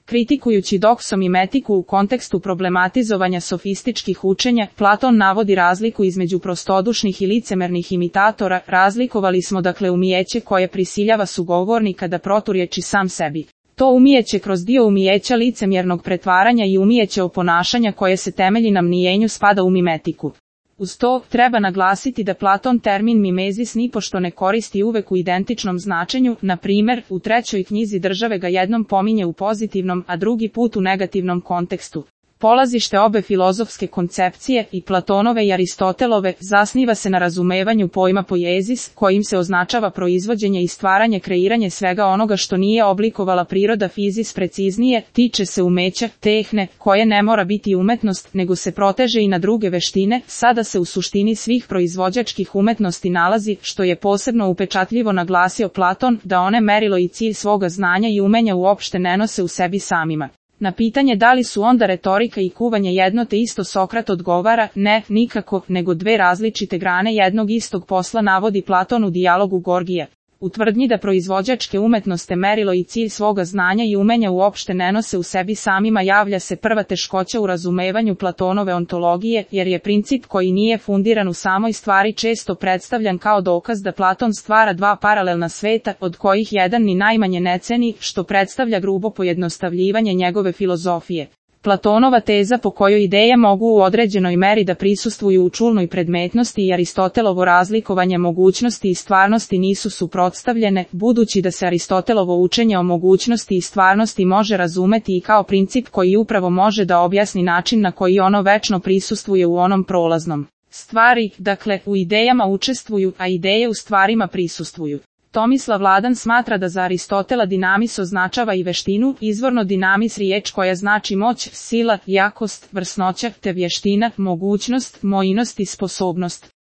Kritikujući doksomimetiku u kontekstu problematizovanja sofističkih učenja, Platon navodi razliku između prostodušnih i licemernih imitatora. Razlikovali smo dakle umijeće koje prisiljava sugovornika da proturječi sam sebi. To umijeće kroz dio umijeća licemjernog pretvaranja i umijeće oponašanja koje se temelji na mnijenju spada u mimetiku. Uz to, treba naglasiti da Platon termin mimezis nipošto ne koristi uvek u identičnom značenju, na primjer, u trećoj knjizi Države ga jednom pominje u pozitivnom, a drugi put u negativnom kontekstu. Polazište obe filozofske koncepcije, i Platonove i Aristotelove, zasniva se na razumevanju pojma poiezis, kojim se označava proizvođenje i stvaranje kreiranje svega onoga što nije oblikovala priroda fizis preciznije, tiče se umeća, tehne, koje ne mora biti umetnost, nego se proteže i na druge veštine, sada se u suštini svih proizvođačkih umetnosti nalazi, što je posebno upečatljivo naglasio Platon, da one merilo i cilj svoga znanja i umenja uopšte ne nose u sebi samima. Na pitanje da li su onda retorika i kuvanje jedno te isto, Sokrat odgovara, ne, nikako, nego dve različite grane jednog istog posla, navodi Platon u dijalogu Gorgija. U tvrdnji da proizvođačke umetnosti merilo i cilj svoga znanja i umenja uopšte ne nose u sebi samima javlja se prva teškoća u razumevanju Platonove ontologije, jer je princip koji nije fundiran u samoj stvari često predstavljan kao dokaz da Platon stvara dva paralelna sveta, od kojih jedan ni najmanje ne ceni, što predstavlja grubo pojednostavljivanje njegove filozofije. Platonova teza po kojoj ideje mogu u određenoj meri da prisustvuju u čulnoj predmetnosti i Aristotelovo razlikovanje mogućnosti i stvarnosti nisu suprotstavljene, budući da se Aristotelovo učenje o mogućnosti i stvarnosti može razumeti i kao princip koji upravo može da objasni način na koji ono večno prisustvuje u onom prolaznom. Stvari, dakle, u idejama učestvuju, a ideje u stvarima prisustvuju. Tomislav Ladan smatra da za Aristotela dinamis označava i veštinu, izvorno dinamis riječ koja znači moć, sila, jakost, vrsnoća, te vještina, mogućnost, mojnost i sposobnost.